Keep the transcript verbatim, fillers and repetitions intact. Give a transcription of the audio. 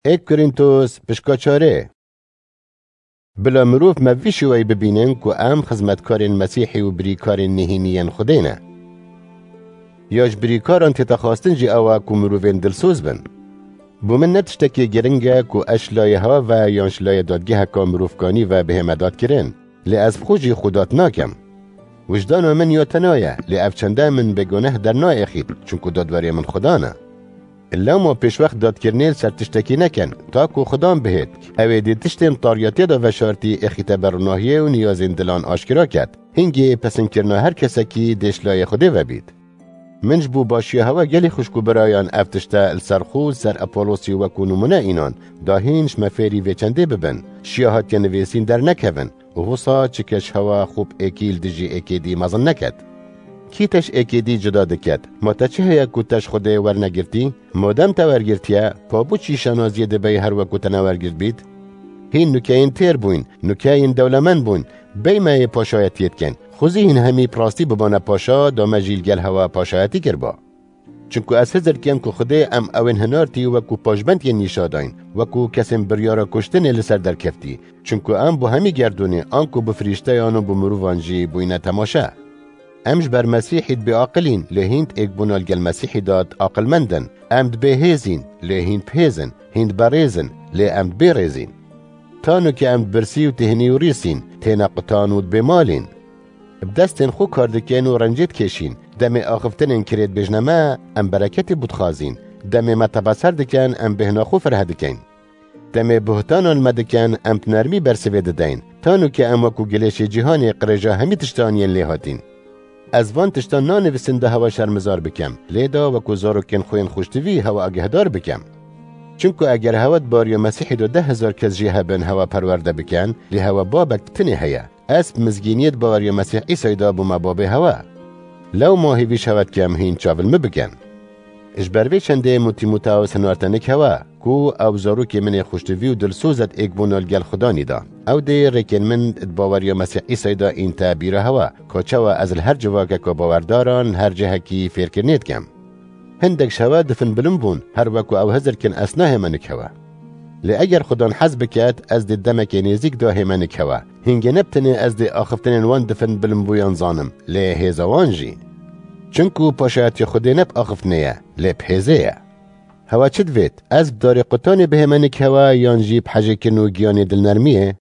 Êk Korîntos, pişka çarê. Bila mirov me vî şêweyî bibînin ku em xizmetkarên Mesîhî û birîkarên nehînî yên Xwedê ne. Ya ji birîkaran tête xwestin jî ew e ku mirovên dilsoz bin. Bo min ne tiştekî giring e ku ez ji layê hewa ve yan ji layê dadgeheka mirovkanî ve bihême dadkirin, lê ez bi xwe jî xwe dat nakim. Wijdana min ya tena ye, lê ev çende min bêguneh dernayêxît, çunku dadwerê min Xudan e. Lewma pêşwext dadkirinê li ser tiştekî nekin, ta ku Xudan bihêt, ew ê dê tiştên tariyatiyê de veşartî êxîte ber ronahiyê û niyazên dilan aşkera ket. Hingê pesinkirina her kesekî dê ji layê Xwedê ve bît. Min ji bo başiya hewa gelî xwişk û birayan ev tişte li ser xwe û li ser Apolosî wekû nimûne înan, da hîn ji me fêrî vê çendê bibin, şiya hatiye nivîsîn dernekevin, û wisa çi kes hewa xwe bi êkî li dijî êkê dî mezin neket. Kî te ji êkê dî cuda diket? Ma te çi heye ku te ji Xwedê wernegirtî? Madem te wergirtiye, pa bo çi şanaziyê dibey her weku te newergirt bît? Hîn nûkeyên têr bûyn, nûkeyên dewlemend bûn, bey me yê paşayetiyê dikin. Xwezî hîn hemî bi rastî bibane paşa, da me jî li gel hewa paşayetî kiriba. Çunku ez hizir dikim ku Xwedê em ewên hinartî wekû paşbend yên nîşa dayîn, wekû kesên biryara kuştinê li ser derkeftî. Çunku em bo hemî gerdûnê, anku bi firîşteyan û bi mirovan jî bûyne temaşe. Em ji ber Mesîhî dibê aqilîn, lê hîn di êkbûna li gel Mesîhî de di aqilmend in. Em dibê hêzîn, lê hîn bi hêz in, hîn di berêz in, lê em dibê rêzîn. Tano ke em di birsî û têhnî û rîsîn, têne qutan û dibê malîn. Bi destên xwe kar dikin û rencê dikêşîn. Demê axiftinên kirê dibêjne me, em bereketê bo dixwazîn. Demê me tebeser dikin, em bêhna xwe fireh dikin. Demê buhtanan me dikin, em bi nermî bersivê dideyn. Tano ke em wekû gilêşê cîhanê qirêja hemî tiştan yên lê hatîn. Ez van tiştan nanivîsin da hewa şermizar bikim, lê da wekû zarokên xwe yên xweştivî hewa agehdar bikim. Çunku eger hewa di bariya Mesîhî de deh hezar kes jî hebin hewa perwerde bikin, lê hewa babek bi tinê heye. Ez bi mizgîniyê di baweriya Mesîh Îsayî de bûme babê hewa. Lewma hêvî ji hewa dikim hîn çav li min bikin. Ji ber vê çendê min Tîmoteos hinarte nik hewa, ku ew zarokê min ê xweştivî û dilsoz e di êkbûna li gel Xudanî de. Ew dê rêkên min di baweriya Mesîh Îsayî de înte bîra hewa, ka çawa ez li her civakeka bawerdaran, li her cihekî fêrkirinê dikim. Hindek ji hewa difin bilind bûn, her weku ew hizir kin ez nahême nik hewa. Lê eger Xudan hez biket, ez dê demekê nêzîk de hême nik hewa. Hingê ne bi tenê ez dê axiftinên wan difin bilimbûyan zanim, lê hêza wan jî. Çunku paşayetiya Xwedê ne bi axiftinê ye, lê bi hêzê ye. Hewa çi divêt? Ez bi darê qutanê bihême nik hewa yan jî bi hejêkirin û giyanê dilnermiyê?